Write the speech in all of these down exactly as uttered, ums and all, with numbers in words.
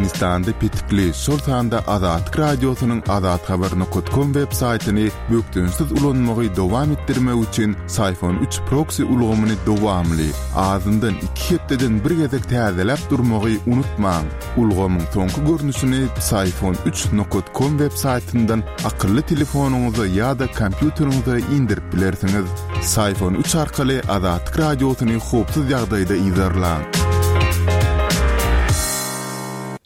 Türkmenistanda petikli, şol sanda Azatlyk Radiosynyň azathabar nokat kom web saýtyny bökdençsiz ulanmagy dowam etdirmek üçin Psiphon üç proksi ulgamyny dowamly, azyndan iki hepdeden bir gezek täzeläp durmagy unutmaň. Ulgamyň soňky görnüşini Psiphon üç nokat kom web saýtyndan akylly telefonyňyza ýa-da kompýuteriňize indirip bilersiňiz. Psiphon üç arkaly Azatlyk Radiosyny howpsuz ýagdaýda yzarlaň.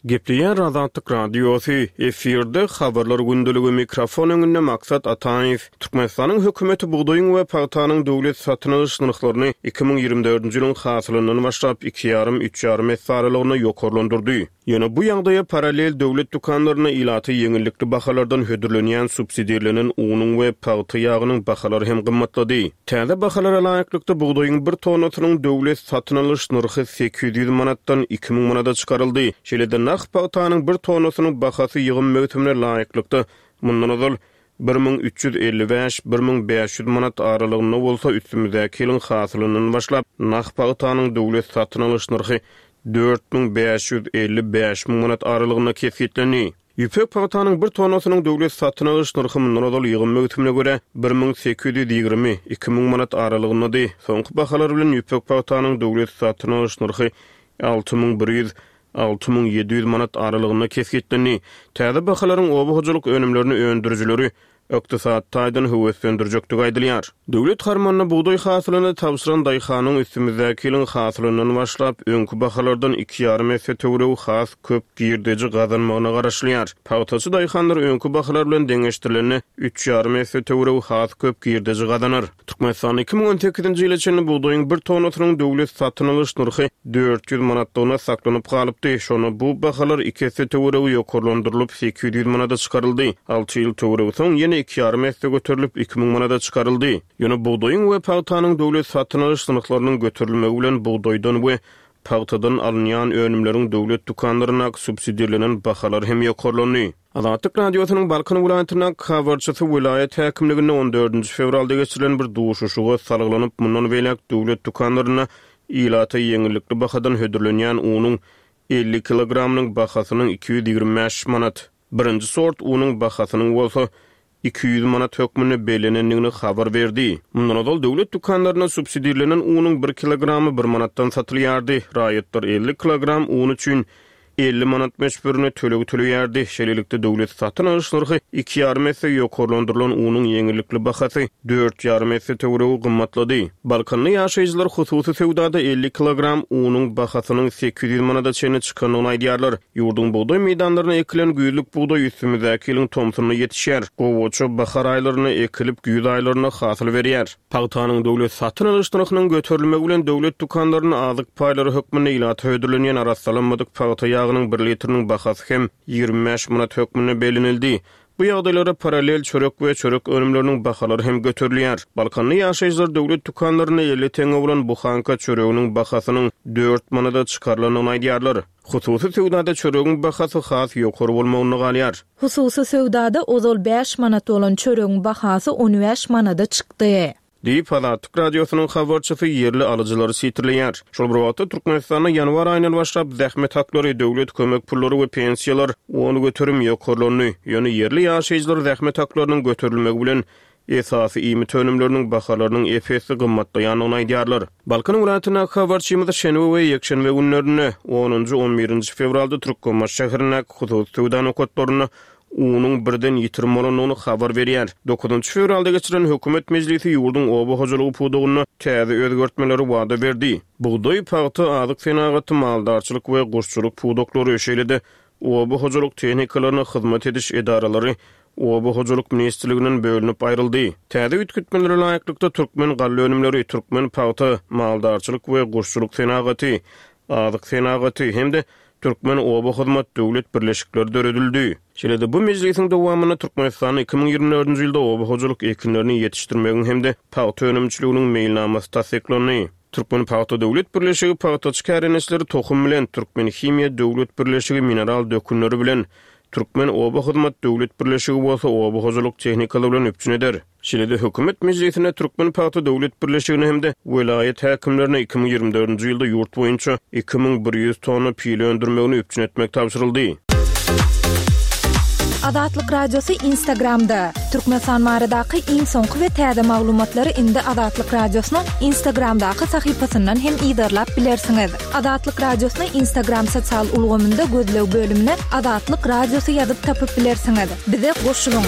Gepleýär Azatlyk Radiosy, efirde habarlar gündeligi, mikrofon öňünde Maksat Ataýew. Türkmenistanyň hökümeti bugdaýyň we pagtanyň döwlet satyn alyş nyrhlaryny iki müň ýigrimi dördünji ýylyň hasylyndan başlap iki ýarym, üç ýarym esse aralygynda ýokarlandyrdy. Ýöne bu ýagdaýa parallel döwlet dükanlarynda ilata ýeňillikli bahalardan hödürlenýän subsidirlenen unuň we pagta ýagynyň bahalary hem gymmatlady. Täze bahalara laýyklykda bugdaýyň bir tonnasynyň döwlet satyn alyş nyrhy sekiz ýüz manatdan iki müň manada çykaryldy. Şeýle-de nah pagtanyň bir tonnasynyň bahasy ýygym möwsümine laýyklykda mundan ozal bir müň üç ýüz elli bäş, bir müň bäş ýüz manat aralygynda bolsa üstümizdäki ýylyň hasylyndan başlap nah pagtanyň döwlet satyn alyş nyrhy dört müň bäş ýüz elli bäş müň manat aralygynda kesgitlendi. Ýüpek pagtanyň bir tonnasynyň döwlet satyn alyş nyrhy mundan ozal ýygym möwsümine görä bir müň sekiz ýüz ýigrimi, iki müň manat aralygyndady. Soňky bahalar bilen ýüpek pagtanyň döwlet satyn alyş nyrhy alty müň bir ýüz, alty müň ýedi ýüz manat aralygynda kesgitlendi. Täze bahalaryň oba hojalyk önümlerini öndürijileri ykdysady taýdan höweslendirjekdigi aýdylýar. Döwlet harmanyna bugdaý hasylyny tabşyran daýhanyň üstümizdäki ýylyň hasylyndan başlap öňki bahalardan iki ýarym esse töweregi has köp girdeji gazanmagyna garaşylýar. Pagtaçy daýhanlar öňki bahalar bilen deňeşdirilende üç ýarym esse töweregi has köp girdeji gazanar. Türkmenistanda iki müň on sekizinji ýyla çenli bugdaýyň bir tonnasynyň döwlet satyn alyş nyrhy dört ýüz manatlygyna saklanyp galypdy. Şonda bu bahalar iki esse töweregi ýokarlandyrylyp sekiz ýüz manada çykaryldy. Alty ýyl töweregi soň ýene iki ýarym esse göterilip iki müň manada çykaryldy. Ýöne bugdaýyň we pagtanyň döwlet satyn alyş nyrhlarynyň göterilmegi bilen bugdaýdan we pagtadan alynýan önümleriň döwlet dükanlaryndaky subsidirlenen bahalar hem ýokarlandy. Azatlyk Radiosynyň Balkan welaýatyndaky habarçysy welaýat häkimliginde on dördünji fewralda geçirilen bir duşuşyga salgylanyp, mundan beýläk döwlet dükanlarynda ilata ýeňillikli bahadan hödürlenýän unuň elli kilogramynyň bahasynyň iki ýüz ýigrimi bäş manat, birinji sort unuň bahasynyň bolsa iki ýüz manat hökmünde bellenendigini habar berdi. Mundan ozal döwlet dükanlarynda subsidirlenen unuň bir kilogramy bir manatdan satylýardy. Raýatlar elli kilogram un üçin elli manat möçberine töleg töleýärdi. Şeýlelikde döwlet satyn alyş nyrhy iki ýarym esse ýokarlandyrylan unuň ýeňillikli bahasy dört ýarym esse töweregi gymmatlady. Balkanly ýaşaýjylar hususy söwdada elli kilogram unuň bahasynyň sekiz ýüz manada çenli çykandygyny aýdýarlar. Ýurduň bugdaý meýdanlaryna ekilen güýzlük bugdaý üstümizdäki ýylyň tomsunda ýetişýär. Gowaça bahar aýlarynda ekilip güýz aýlarynda hasyl berýär. Pagtanyň döwlet satyn alyş nyrhynyň göterilmegi bilen döwlet dükanlarynda azyk paýlary hökmünde ilata hödürlenýän arassalanmadyk pagta ýagynyň bir litriniň bahasy hem ýigrimi bäş manat hökmünde bellenildi. Bu ýagdaýlara parallel çörek we çörek önümleriniň bahalary hem göterilýär. Balkanly ýaşaýjylar döwlet dükanlarynda elli teňňe bolan buhanka çöreginiň bahasynyň dört manada çykarylandygyny aýdýarlar. Hususy söwdada çöregiň bahasy has ýokary bolmagynda galýar. Hususy söwdada ozal bäş manat bolan çöregiň bahasy on bäş manada çykdy. Diýip, Azatlyk Radiosynyň habarçysy ýerli alyjylary sitirleýär. Şol bir wagtda Türkmenistanda ýanwar aýyndan başlap zähmet haklary, döwlet kömek pullary we pensiýalar on göterim ýokarlandy. Ýöne ýerli ýaşaýjylar zähmet haklarynyň göterilmegi bilen esasy iýmit önümleriniň bahalarynyň ep-esli gymmatlaýandygyny aýdýarlar. Balkan welaýatyndaky habarçymyz şenbe we ýekşenbe günlerinde onunjy, on birinji fewralda Türkmenbaşy şäherindäki hususy söwda nokatlarynda unuň birden ýitirim bolandygyny habar berýär. Dokuzynjy fewralda geçirilen hökümet mejlisi ýurduň oba hojalygy pudagynda täze özgertmeleri wada berdi. Bugdaý, pagta, azyk senagaty, maldarçylyk we guşçulyk pudaklary, şeýle-de oba hojalyk tehnikalaryna hyzmat ediş edaralary Oba hojalyk ministrliginden bölünip aýryldy. Täze üýtgetmelere laýyklykda türkmen galla önümleri, türkmen pagta, maldarçylyk we guşçulyk senagaty, azyk senagaty hem-de Türkmen oba hyzmat döwlet birleşikleri döredildi. Şeýle-de bu mejlisiň dowamynda Türkmenistanda iki müň ýigrimi dördünji ýylda oba hojalyk ekinlerini ýetişdirmegiň hem-de pagta önümçiliginiň meýilnamasy tassyklandy. Türkmen pagta döwlet birleşigi pagtaçy kärendeçileri tohum bilen, Türkmen himiýa döwlet birleşigi mineral dökünleri bilen, Türkmen Oba Hyzmat Döwlet Birleşigi bolsa oba hojalyk tehnikalary bilen üpjün eder. Şeýle-de hökümet mejlisinde Türkmen Pagta Döwlet Birleşigine hem-de welaýat häkimlerine iki müň ýigrimi dördünji ýylda ýurt boýunça iki müň bir ýüz tonna pile öndürmegini üpjün etmek tabşyryldy. Azatlyk Radiosy Instagramda. Türkmenistan baradaky iň soňky we täze maglumatlary indi Azatlyk Radiosynyň Instagramdaky sahypasyndan hem yzarlap bilersiňiz. Azatlyk Radiosyny Instagram sosial ulgamynda gözleg bölümine Azatlyk Radiosy ýazyp tapyp bilersiňiz. Bize goşulyň.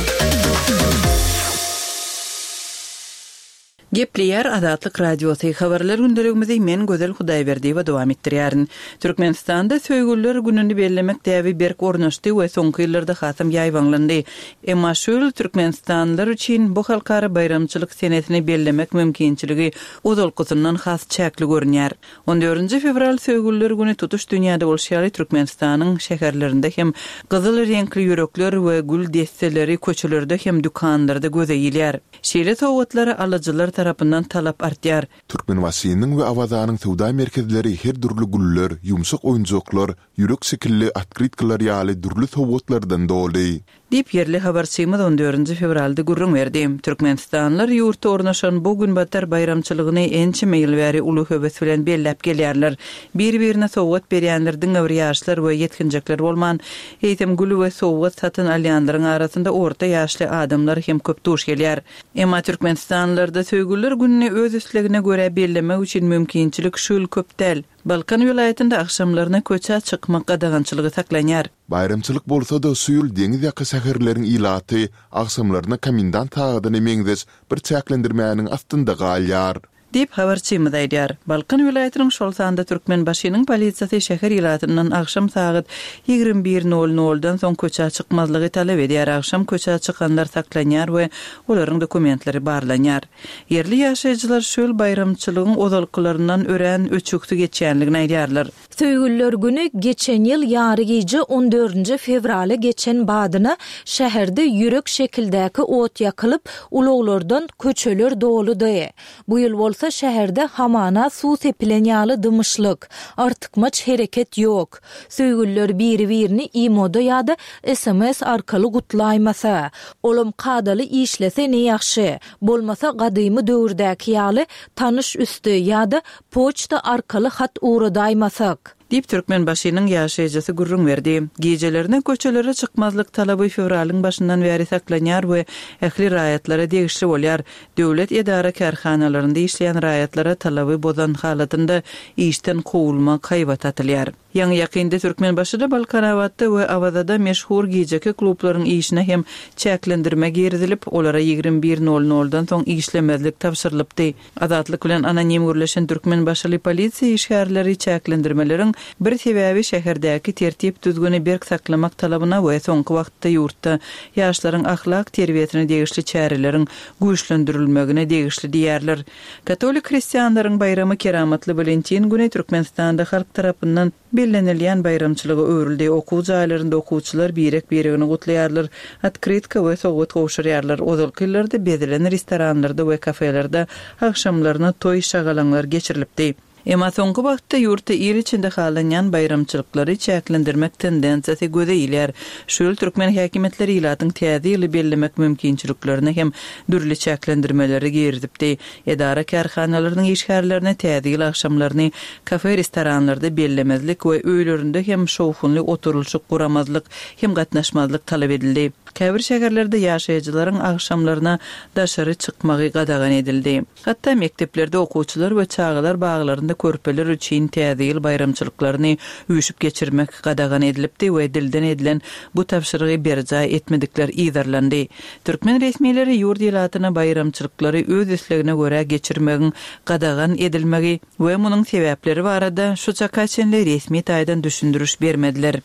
Gepleýär Azatlyk Radiosy. Habarlar gündeligimizi men Gözel Hudaýberdiýewa dowam etdirýärin. Türkmenistanda söýgüliler gününi bellemek däbi berk ornaşdy we soňky ýyllarda hasam ýaýbaňlandy. Emma şu ýyl türkmenistanlylar üçin bu halkara baýramçylyk senesini bellemek mümkinçiligi ozalkysyndan has çäkli görünýär. On dördünji fewral söýgüliler güni tutuş dünýäde bolşy ýaly Türkmenistanyň şäherlerinde hem gyzyl reňkli ýürekler we gül desseleri köçelerde hem dükanlarda göze ilýär. Şeýle sowgatlara alyjylar tarapyndan talap artýar. Türkmenbaşynyň we Awazanyň söwda merkezleri her dürli güller, ýumşak oýunjaklar, ýürek şekilli otkrytkalar ýaly dürli sowgatlardan doly. Diýip, ýerli habarçymyz on dördünji fewralda gürrüň berdi. Türkmenistanlylar ýurtda ornaşan bu günbatar baýramçylygyny ençeme ýyl bäri uly höwes bilen belläp gelýärler. Bir-birine sowgat berýänler diňe bir ýaşlar we ýetginjekler bolman, eýsem gül we sowgat satyn alýanlaryň arasynda orta ýaşly adamlar hem köp duş gelýär. Emma türkmenistanlylarda söýgüliler gününi öz islegine görä bellemek üçin mümkinçilik şu ýyl köp däl. Balkan welaýatynda agşamlaryna köçä çykmak gadagançylygy saklanýar. Baýramçylyk bolsa-da şu ýyl deňiz ýaka şäherleriň ilaty agşamlaryna komendant sagadyna meňzeş bir çäklendirmäniň astynda galýar. Diýip habarçymyz aýdýar. Balkan welaýatynyň şol sanda Türkmenbaşynyň polisiýasy şäher ilatyndan agşam sagat ýigrimi bir nol noldan soň köçä çykmazlygy talap edýär. Agşam köçä çykanlar saklanýar we olaryň dokumentleri barlanýar. Ýerli ýaşaýjylar şu ýyl baýramçylygyň ozalkylaryndan örän öçügsi geçýänligini aýdýarlar. Söýgüliler güni geçen ýyl ýary gije on dördünji fewraly geçen badyna şäherde ýürek şekildäki ot ýakylyp, ulaglardan köçeler doludy. Bu ýyl bolsa şäherde hamana suw sepilen ýaly dymyşlyk, artykmaç hereket ýok. Söýgüliler biri-birini imoda ýa-da S M S arkaly gutlaýmasa, olam kadaly işlese ne ýagşy, bolmasa gadymy döwürdäki ýaly tanyş üsti ýa-da poçta arkaly hat ugradaýmasak. Diýip Türkmenbaşynyň ýaşaýjysy gürrüň berdi. Gijelerine köçelere çykmazlyk talaby fewralyň başyndan bäri saklanýar we ähli raýatlara degişli bolýar. Döwlet edara kärhanalarynda işleýän raýatlara talaby bozan halatynda işden kowulmak haýbat atylýar. Ýaňy ýakynda Türkmenbaşyda Balkanabatda we Awazada meşhur gijeki klublaryň işine hem çäklendirme girizilip, olara ýigrimi bir nol noldan soň işlemezlik tabşyrylypdy. Azatlyk bilen anonim gürleşen Türkmenbaşyly polisiýa işgärleri çäklendirmeleriň bir sebäbi şäherdäki tertip düzgüni berk saklamak talabyna we soňky wagtda ýurtda ýaşlaryň ahlak terbiýesine degişli çäreleriň güýçlendirilmegine degişli diýerler. Katolik hristianlaryň baýramy Keramatly Walentin güni Türkmenistanda halk tarapyndan bellenilýän baýramçylyga öwrüldi. Okuw jaýlarynda okuwçylar birek-biregini gutlaýarlar, otkrytka we sowgat gowşurýarlar. Ozalky ýyllarda bezilen restoranlarda we kafelerde agşamlaryna toý şagalaňlar geçirilipdi. Emma soňky wagtda ýurtda il içinde halanýan baýramçylyklary çäklendirmek tendensiýasy göze ilýär. Şu ýyl türkmen häkimiýetleri ilatyň täze ýyly bellemek mümkinçiliklerine hem dürli çäklendirmeleri girizipdi. Edara kärhanalarynyň işgärlerine täze ýyl agşamlaryny kafe restoranlarda bellemezlik we öýlerinde hem şowhunly oturylyşyk guramazlyk hem gatnaşmazlyk talap edildi. Käbir şäherlerde ýaşaýjylaryň agşamlaryna daşary çykmagy gadagan edildi. Hatda mekdeplerde okuwçylar we çagalar baglarynda körpeler üçin täze ýyl baýramçylyklaryny üýşüp geçirmek gadagan edilipdi we dilden edilen bu tabşyrygy berjaý etmedikler yzarlandy. Türkmen resmileri ýurt ilatyna baýramçylyklary öz islegine görä geçirmegiň gadagan edilmegi we munuň sebäpleri barada şu çaka çenli resmi taýdan düşündiriş bermediler.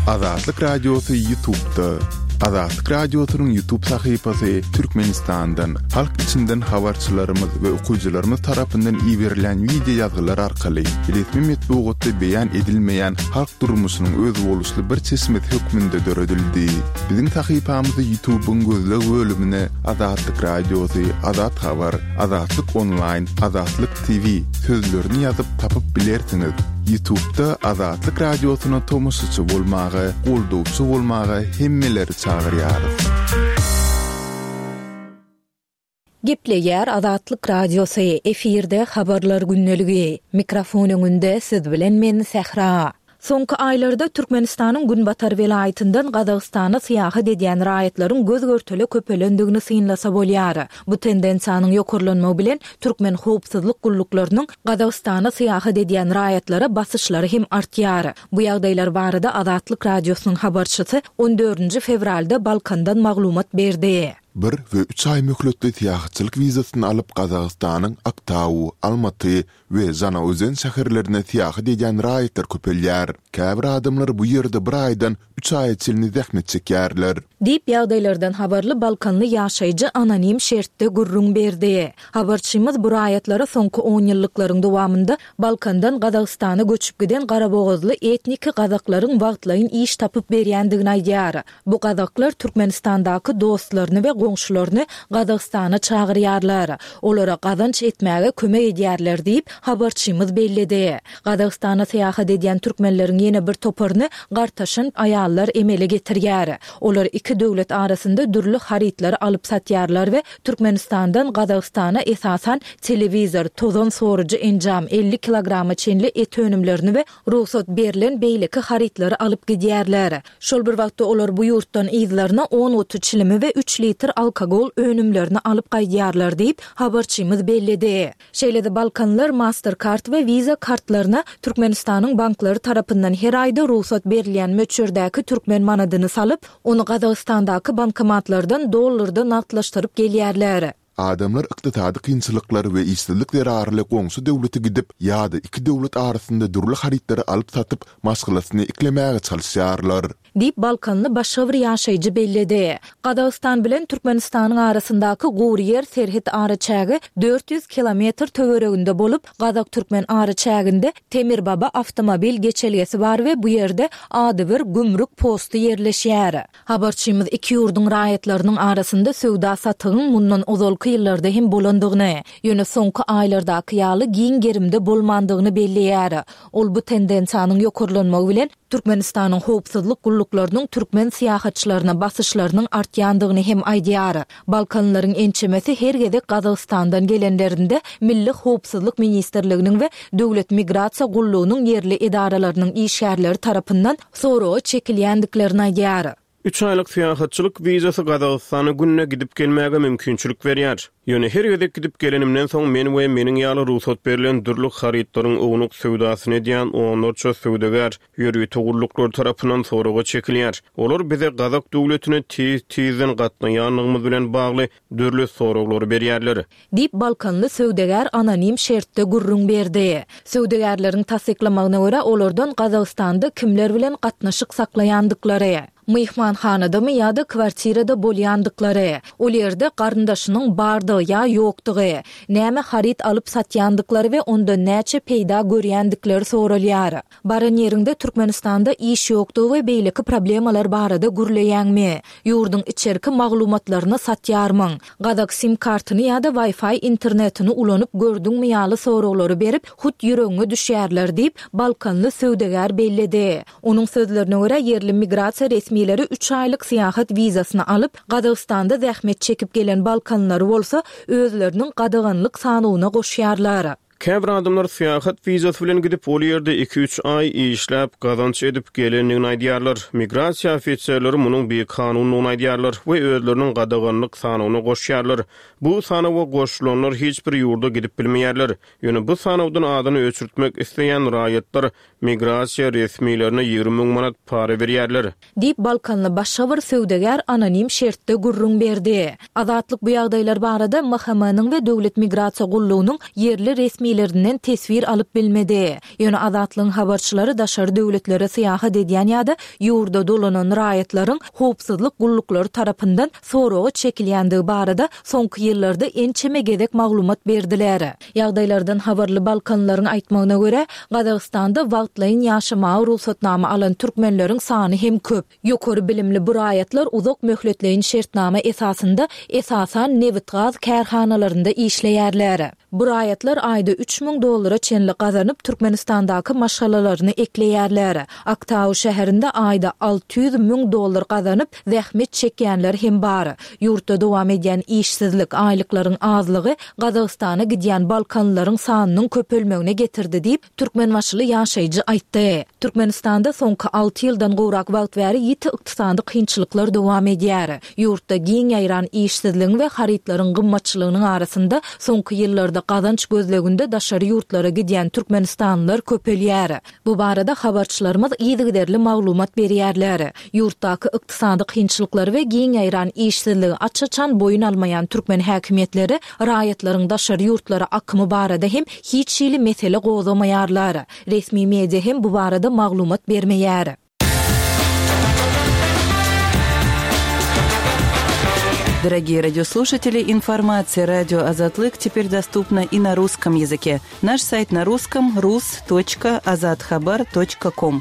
Azatlyk Radiosy YouTube'da. Azatlyk Radiosynyň YouTube sahypasy Türkmenistandan, halk içinden habarçylarymyz we okyjylarymyz tarapyndan iberilen video ýazgylar arkaly resmi metbugatda beýan edilmeýän halk durmuşynyň özboluşly bir çeşmesi hökmünde döredildi. Biziň sahypamyzy YouTube'yň gözleg bölümine Azatlyk Radiosy, Azat Habar, Azatlyk Online, Azatlyk T V sözlerini ýazyp tapyp bilersiňiz. YouTube'da Azatlyk Radiosyna tomaşaçy bolmaga, goldawçy bolmaga hemmeleri çagyrýarys. Gepleýär Azatlyk Radiosy, efirde habarlar gündeligi. Mikrofon öňünde siz bilen men Sähra. Soňky aýlarda Türkmenistanyň Günbatar welaýatyndan Gazagystana syýahat edýän raýatlaryň göz görtele köpelendigini synlasa bolýar. Bu tendensiýanyň ýokarlanmagy bilen türkmen howpsuzlyk gulluklarynyň Gazagystana syýahat edýän raýatlara basyşlary hem artýar. Bu ýagdaýlar barada Azatlyk Radiosynyň habarçysy on dördünji fewralda Balkandan maglumat berdi. Bir we üç aý möhletli syýahatçylyk wizasyny alyp Gazagystanyň Aktau, Almaty we Žanaozen şäherlerine syýahat edýän raýatlar köpelýär. Käbir adamlar bu ýerde bir aýdan üç aýa çenli zähmet çekýärler. Diýip ýagdaýlardan habarly Balkanly ýaşaýjy anonim şertde gürrüň berdi. Habarçymyz bu raýatlara soňky on ýyllyklaryň dowamynda Balkandan Gazagystana göçüp giden Garabogazly etniki gazaklaryň wagtlaýyn iş tapyp berýändigini aýdýar. Bu gazaklar Türkmenistandaky dostlaryny we goňşularyny Gazagystana çagyrýarlar. Olara gazanç etmäge kömek edýärler diýip habarçymyz belledi. Gazagystana syýahat edýän türkmenleriň ýene bir toparyny gartaşan aýallar emele getirýär. Olar iki döwlet arasynda dürli harytlary alyp satýarlar we Türkmenistandan Gazagystana esasan telewizor, tozan sorujy enjam, elli kilograma çenli et önümlerini we rugsat berlen beýleki harytlary alyp gidýärler. Şol bir wagtda olar bu ýurtdan yzlaryna on guty çilimi we üç litr alkogol önümlerini alyp gaýdýarlar diýip habarçymyz belledi. Şeýle-de Balkanlar Mastercard we Visa kartlaryna Türkmenistanyň banklary tarapyndan her aýda rugsat berilýän möçberdäki türkmen manadyny salyp, ony Gazagystandaky bankomatlardan dollarda nagtlaşdyryp gelýärler. Adamlar ykdysady kynçylyklar we işsizlik zerarly goňşy döwlete gidip ýa-da iki döwlet arasynda dürli harytlary alyp satyp maşgalasyny eklemäge çalyşýarlar. Diýip Balkanly başga bir ýaşaýjy belledi. Gazagystan bilen Türkmenistanyň arasyndaky gury ýer serhet araçägi dört ýüz kilometr töwereginde bolup, Gazak-Türkmen araçäginde Temirbaba awtomobil geçelgesi bar we bu ýerde adybir gümrük posty ýerleşýär. Habarçymyz iki ýurduň raýatlarynyň arasynda söwda satygyň mundan ozalky ýyllarda hem bolandygyny, ýöne soňky aýlardaky ýaly giň gerimde bolmandygyny belleýär. Ol bu tendensiýanyň ýokarlanmagy bilen Türkmenistanyň howpsuzlyk gulluklarynyň türkmen syýahatçylaryna basyşlarynyň artýandygyny hem aýdýar. Balkanlaryň ençemesi her gezek Gazagystandan gelenlerinde Milli Howpsuzlyk Ministrliginiň we Döwlet Migrasiýa Gullugynyň ýerli edaralarynyň işgärleri tarapyndan soraga çekilýändiklerini aýdýar. Üç aýlyk syýahatçylyk wizasy Gazagystana gününe gidip gelmäge mümkinçilik berýär. Ýöne her gezek gidip gelenimden soň men we meniň ýaly rugsat berlen dürli harytlaryň ownuk söwdasyny edýän onlarça söwdagär ýörite gulluklar tarapyndan soraga çekilýär. Olar bize Gazak döwletine tez-tizden gatnaýanlygymyz bilen bagly dürli soraglary berýärler. Diýip Balkanly söwdagär anonim şertde gürrüň berdi. Söwdagärleriň tassyklamagyna görä olardan Gazagystanda kimler bilen gatnaşyk saklaýandyklary, myhmanhanadamy ýa-da kwartirada bolýandyklary, ol ýerde garyndaşynyň bardygy ýa ýokdugy, näme haryt alyp satýandyklary we onda näçe peýda görýändikleri soralýar. Baran ýerinde Türkmenistanda iş ýokdugy we beýleki problemalar barada gürleýäňmi? Ýurduň içerki maglumatlaryny satýarmyň? Gazak sim kartyny ýa-da Wi-Fi internetini ulanyp gördüňmi ýaly soraglary berip, hut ýüregiňe düşýärler diýip Balkanly söwdagär belledi. Onuň sözlerine görä ýerli migrasiýa resmileri üç aýlyk syýahat wizasyny alyp, Gazagystanda zähmet çekip gelen Balkanlary bolsa özleriniň gadaganlyk sanyna goşýarlar. Käbir adamlar syýahat wizasy bilen gidip, ol ýerde iki-üç aý işläp, gazanç edip gelendigini aýdýarlar. Migrasiýa ofiserleri munuň bir kanundygyny aýdýarlar we özleriniň gadaganlyk sanyna goşýarlar. Bu sanawa goşulanlar hiç bir ýurda gidip bilmeýärler. Ýöne bu sanawdan adyny öçürtmek isleýän raýatlar migrasiýa resmilerine ýigrimi müň manat para berýärler. Diýip Balkanly başga bir söwdagär anonim şertde gürrüň berdi. Azatlyk bu ýagdaýlar barada M H M-niň we Döwlet Migrasiýa Gullugynyň ýerli resmilerinden teswir alyp bilmedi. Ýöne Azatlygyň habarçylary daşary döwletlere syýahat edýän ýa-da ýurda dolanan raýatlaryň howpsuzlyk gulluklary tarapyndan soraga çekilýändigi barada soňky ýyllarda ençeme gezek maglumat berdiler. Ýagdaýlardan habarly Balkanlaryň aýtmagyna görä, Gazagystanda wagtlaýyn ýaşamaga rugsatnama alan türkmenleriň sany hem köp. Ýokary bilimli bu raýatlar uzak möhletleýin şertnama esasynda esasan nebit-gaz kärhanalarynda işleýärler. Bu raýatlar aýda üç müň dollara çenli gazanyp, Türkmenistandaky maşgalalaryny ekleýärler. Aktau şäherinde aýda alty ýüz müň dollar gazanyp, zähmet çekýänler hem bar. Ýurtda dowam edýän işsizlik, aýlyklaryň azlygy Gazagystana gidýän balkanlylaryň sanynyň köpelmegine getirdi diýip, türkmenbaşyly ýaşaýjy aýtdy. Türkmenistanda soňky alty ýyldan gowrak wagt bäri ýiti ykdysady kynçylyklar dowam edýär. Ýurtda giň ýaýran işsizligiň we harytlaryň gymmatçylygynyň arasynda soňky ýyllarda gazanç gözleginde daşary ýurtlara gidýän türkmenistanlylar köpelýär. Bu barada habarçylarymyz yzygiderli maglumat berýärler. Ýurtdaky ykdysady kynçylyklary we giň ýaýran işsizligi aç-açan boýun almaýan türkmen häkimiýetleri raýatlaryň daşary ýurtlara akymy barada hem hiç hili mesele gozgamaýarlar. Resmi media hem bu barada maglumat bermeýär. Дорогие радиослушатели, информация радио Азатлык теперь доступна и на русском языке. Наш сайт на русском рус точка азатхабар точка ком.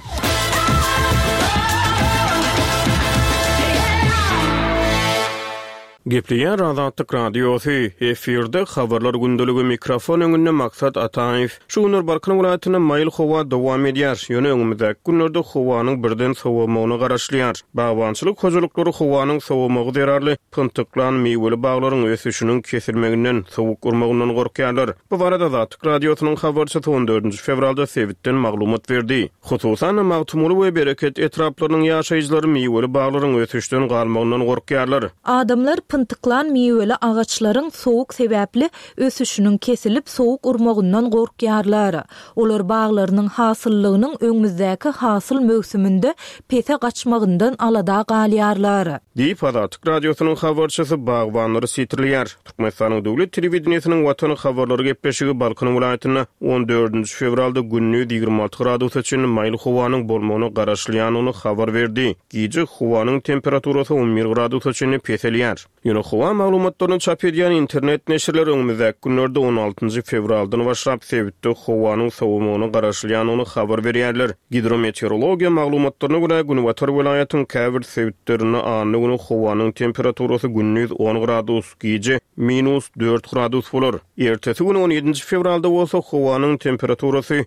Gepleýär Azatlyk Radiosy, efirde habarlar gündeligi, mikrofon öňünde Maksat Ataýew. Şu günler Balkan welaýatynda maýyl howa dowam edýär. Ýöne öňümizdäki günlerde howanyň birden sowamagyna garaşylýar. Bagbançylyk hojalyklary howanyň sowamagy zerarly pyntyklan miweli baglaryň ösüşiniň kesilmeginden, sowuk urmagyndan gorkýarlar. Bu barada Azatlyk Radiosynyň habarçysy on dördünji fewralda sebitden maglumat berdi. Hususan Magtymguly we Bereket etraplarynyň ýaşaýjylary miweli baglaryň ösüşden galmagyndan gorkýarlar. Adamlar pyntyklan miweli agaçlaryň sowuk sebäpli ösüşiniň kesilip sowuk urmagyndan gorkýarlar. Olar baglarynyň hasyllygynyň öňümizdäki hasyl möwsüminde pese gaçmagyndan alada galýarlar. Diýip Azatlyk Radiosynyň habarçysy bagbanlary sitirleýär. Türkmenistanyň döwlet telewideniýesiniň Watan habarlary gepleşigi Balkan welaýatynda on dördünji fewralda gündiz ýigrimi alty gradusa çenli maýyl howanyň bolmagyna garaşylýanyny habar berdi. Gije howanyň temperaturasy on bir gradusa çenli peselýär. Ýöne howa maglumatlaryny çap edýän internet neşirleri öňümizdäki günlerde on altynjy fewraldan başlap sebitde howanyň sowamagyna garaşylýanyny habar berýärler. Gidrometeorologiýa maglumatlaryna görä Günbatar welaýatyň käbir sebitlerinde anna güni howanyň temperaturasy gündiz on gradus, gije minus dört gradus bolar. Ertesi güni on ýedinji fewralda bolsa howanyň temperaturasy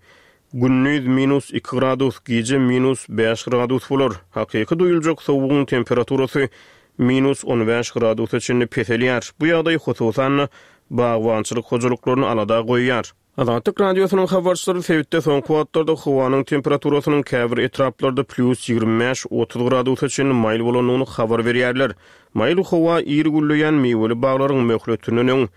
gündiz minus iki gradus, gije minus bäş gradus bolar. Hakyky duýuljak sowugyň temperaturasy minus on bäş gradusa çenli peselýär. Bu ýagdaý hususan bagbançylyk hojalyklaryny alada goýýar. Azatlyk Radiosynyň habarçylary sebitde soňky wagtlarda howanyň temperaturasynyň käbir etraplarda plus ýigrimi bäş otuz gradusa çenli maýyl bolandygyny habar berýärler. Maýyl howa ir gülleýän miweli baglaryň möhletinden öň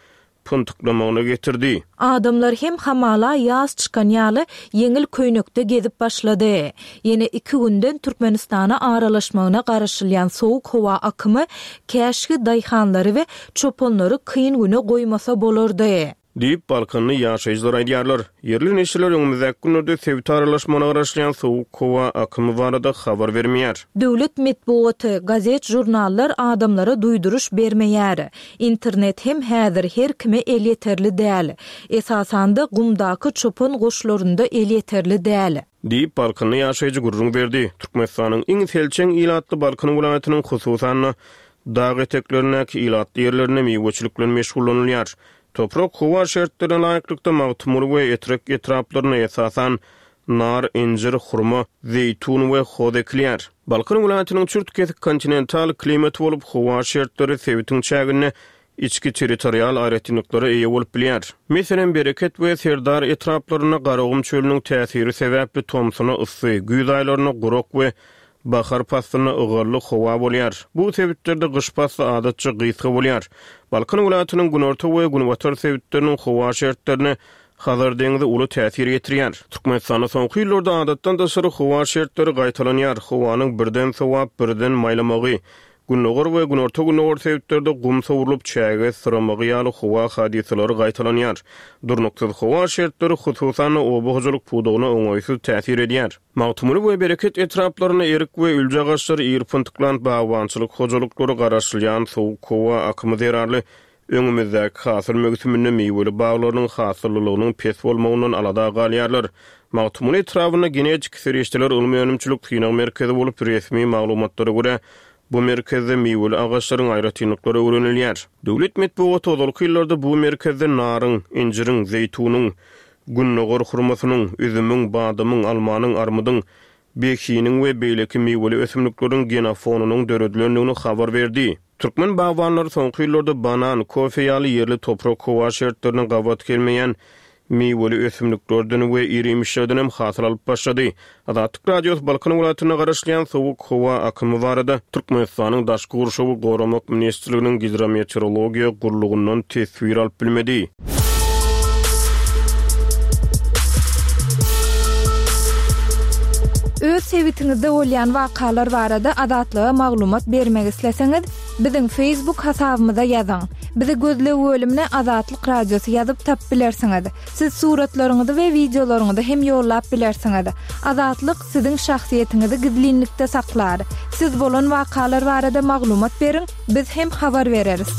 pyntyklamagyna getirdi. Adamlar hem hamala ýaz çykan ýaly ýeňil köýnekde gezip başlady. Ýene iki günden Türkmenistana aralaşmagyna garaşylýan sowuk howa akymy käşgi daýhanlary we çopanlary kyn güne goýmasa bolardy. Diýip Balkanly ýaşaýjylar aýdýarlar. Ýerli neşirler öňümizdäki günlerde sebit aralaşmagyna garaşylýan sowuk howa akymy barada habar bermeýär. Döwlet metbugaty, gazet, jurnallar adamlara duýduryş bermeýär. Internet hem häzir her kime elýeterli däl. Esasanda gumdaky çopan goşlarynda elýeterli däl. Diýip Balkanly ýaşaýjy gürrüň berdi. Türkmenistanyň iň selçeň ilatly Balkan welaýatynyň hususan dag eteklerindäki ilatly ýerlerinde miweçilik bilen meşgullanylýar. Toprak howa şertlerine laýyklykda Magtymguly we Etrek etraplaryna esasan nar, injir, hurma, zeýtun we hoz ekilýär. Balkan welaýatynyň çürt kesik kontinental klimaty bolup, howa şertleri sebitiň çäginde içki territorial aýratynlyklara eýe bolup bilýär. Meselem, Bereket we Serdar etraplarynda Garagum çölüniň täsiri sebäpli tomsuna yssy, güýz aýlarynda gurak we bahar paslynda ygally howa bolýar. Bu sebitlerde gyş pasly adatça gysga bolýar. Balkan welaýatynyň günorta we günbatar sebitleriniň howa şertlerine Hazar deňizi uly täsir ýetirýär. Türkmenistanda soňky ýyllarda adatdan daşary howa şertleri gaýtalanýar. Howanyň birden sowap, birden maýlamagy, gündogar we günorta gündogar sebitlerde gum sowrulyp çäge syramagy ýaly howa hadysalary gaýtalanýar. Durnuksyz howa şertleri hususan oba hojalyk pudagyna oňaýsyz täsir edýär. Magtymguly we Bereket etraplarynda erik we ülje agaçlary ir pyntyklan bagbançylyk hojalyklary garaşylýan sowuk howa akymy zerarly öňümizdäki hasyl möwsüminde miweli baglarynyň hasyllylygynyň pes bolmagyndan alada galýarlar. Magtymguly etrabynda genetik serişdeler ylmy önümçilik synag merkezi bolup resmi maglumatlara görä Bu merkezde miweli agaçlaryň aýratynlyklary öwrenilýär. Döwlet metbugaty ozalky ýyllarda bu merkezde naryň, injiriň, zeýtunyň, gündogar hurmasynyň, üzümiň, badamyň, almanyň, armydyň, behiniň we beýleki miweli ösümlikleriň genofonynyň döredilendigini habar berdi. Türkmen bagbanlary soňky ýyllarda banan, kofe ýaly ýerli toprak-howa şertlerine gabat gelmeýän miweli ösümliklerden we ir-iýmişlerden hem hasyl alyp başlady. Azatlyk Radiosy Balkan welaýatynda garaşylýan sowuk howa akymy barada Türkmenistanyň Daşky gurşawy goramak ministrliginiň Gidrometeorologiýa gullugyndan teswir alyp bilmedi. Öz sebitiňizde bolýan wakalar barada Azatlyga maglumat bermek isleseňiz, biziň Facebook hasabymyza ýazyň. Bizi gözleg bölümine Azatlyk Radiosy ýazyp tapyp bilersiňiz. Siz suratlaryňyzy we wideolaryňyzy hem ýollap bilersiňiz. Azatlyk siziň şahsyýetiňizi gizlinlikde saklar. Siz bolan wakalar barada maglumat beriň, biz hem habar bereris.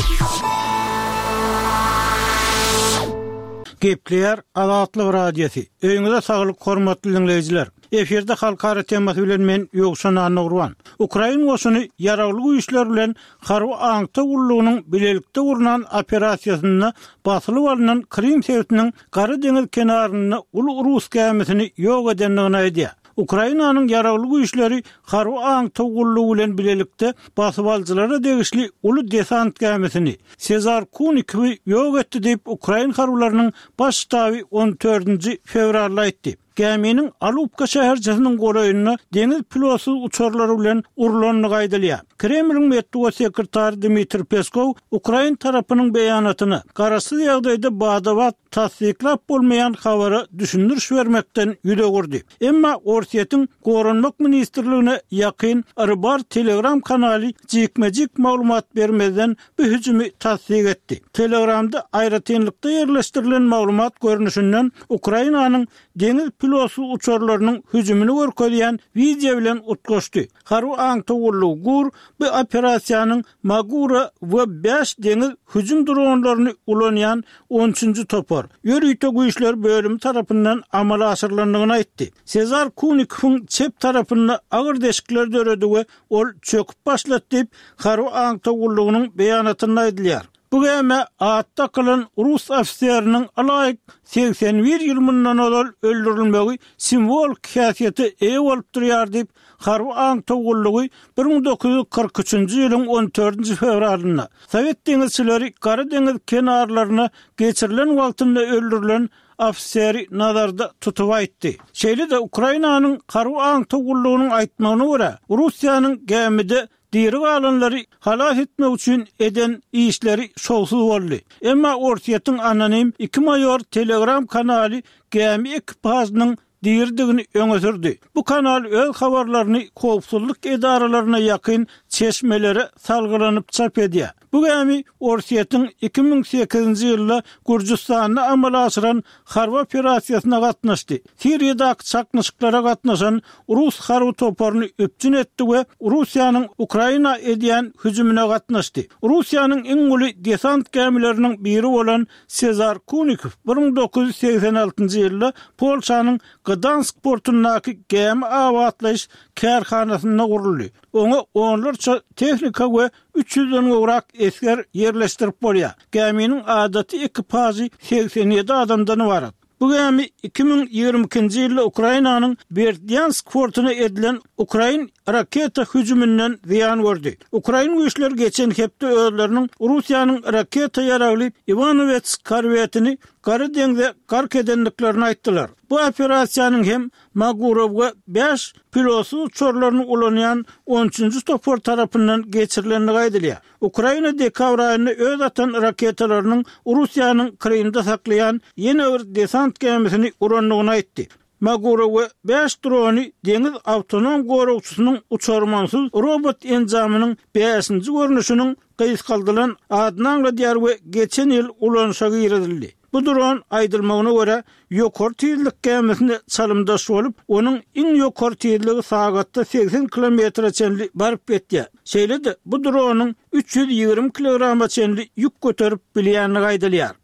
Gepleýär Azatlyk Radiosy. Öýüňize saglyk, hormatly diňleýjiler. Efirde halkara temasy bilen men Ýowşan Annagurban. Ukrain goşuny ýaragly güýçler bilen harby aňtaw gullugynyň bilelikde gurnan operasiýasynda basylyp alnan Krym sebitiniň Gara deňiz kenarynda uly rus gämisini ýok edendigini aýdýar. Ukrainanyň ýaragly güýçleri harby aňtaw gullugy bilen bilelikde basybalyjylara degişli uly desant gämisini Sezar Kunikowy ýok etdi diýip, ukrain harbylarynyň baş ştaby on dördünji fewralda aýtdy. Gäminiň Alupka şäherçesiniň golaýynda deňiz pilotsyz uçarlary bilen urlandygy aýdylýar. Kremliň metbugat sekretary Dmitriý Peskow ukrain tarapynyň beýanatyna garaşsyz ýagdaýda bada-bat tassyklap bolmaýan habara düşündiriş bermekden ýüz öwürdi. Emma Orsýetiň Goranmak ministrligine ýakyn Rybar Telegram kanaly jikme-jik maglumat bermezden bu hüjümi tassyk etdi. Telegramda aýratynlykda ýerleşdirilen maglumat görnüşinden Ukrainanyň deňiz pilotsyz uçarlarynyň hüjümini görkezýän wideo bilen utgaşdy. Harby aňtaw gullugy GUR bu operasiýanyň Magura we bäş deňiz hüjüm dronlaryny ulanýan on üçünji topar ýörite güýçler bölümi tarapyndan amala aşyrylandygyny aýtdy. Sezar Kunikowyň çep tarapynda agyr deşikler döredi we ol çöküp başlady diýip, harby aňtaw gullugynyň beýanatynda aýdylýar. Bu gämä at dakylan rus ofiseriniň ylaýyk segsen bir ýyl mundan ozal öldürilmegi simwolik häsiýete eýe bolup durýar diýip, harby aňtaw gullugy bir müň dokuz ýüz kyrk üçünji ýylyň on dördünji fewralynda Sowet deňizçileri Gara deňiz kenarlaryna geçirilen wagtynda öldürilen ofiseri nazarda tutup aýtdy. Şeýle-de Ukrainanyň harby aňtaw gullugynyň aýtmagyna görä, Russiýanyň gämide diri galanlary halas etmek üçin eden işleri şowsuz boldy. Emma Orsýetiň anonim iki maýor Telegram kanaly gämi ekipažynyň diridigini öňe sürdi. Bu kanal öz habarlaryny howpsuzlyk edaralaryna ýakyn çeşmelere salgylanyp çap edýär. Bu gämi Orsýetiň iki müň sekizinji ýylda Gürjüstanda amala aşyran harby operasiýasyna gatnaşdy. Siriýadaky çaknyşyklara gatnaşan rus harby toparyny üpjün etdi we Russiýanyň Ukraina edýän hüjümine gatnaşdy. Russiýanyň iň uly desant gämileriniň biri bolan Sezar Kunikow bir müň dokuz ýüz segsen altynjy ýylda Polşanyň Gdansk portundaky gämi abatlaýyş kärhanasynda guruldy. Oňa onlarça tehnika we üç ýüzden gowrak esger ýerleşdirip bolýar. Gäminiň adaty ekipažy segsen ýedi adamdan ybarat. Bu gämi iki müň ýigrimi ikinji ýylda Ukrainanyň Berdýansk portuna edilen ukrain raketa hüjüminden zyýan gördi. Ukrain güýçleri geçen hepde özleriniň Russiýanyň raketa ýaragly Iwanowets korwetini Gara deňze gark edendiklerini aýtdylar. Bu operasiýanyň hem Magurow we bäş pilotsyz uçarlaryny ulanýan on üçünji topar tarapyndan geçirilendigi aýdylýar. Ukraina dekabr aýynda öz atan raketalarynyň Russiýanyň Krymda saklaýan ýene bir desant gämisini urandygyny aýtdy. Magurow we bäş drony deňiz awtonom goragçysynyň uçarmansyz robot enjamynyň bäşinji görnüşiniň gysgaldylan adyny aňladýar we geçen ýyl ulanyşa girizildi. Bu dron, aýdylmagyna görä, ýokary tizlik gämisine çalymdaş bolup, onuň iň ýokary tizligi sagatda segsen kilometre çenli baryp ýetýär. Şeýle-de, bu dronyň üç ýüz ýigrimi kilograma çenli ýük göterip bilýändigi aýdylýar.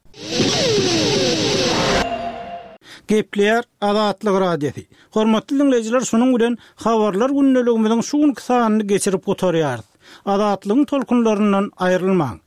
Gepleýär Azatlyk Radiosy. Hormatly diňleýjiler, şunuň bilen Habarlar gündeligimiziň şu günki sanyny geçirip gutarýarys. Azatlygyň tolkunlaryndan aýrylmaň.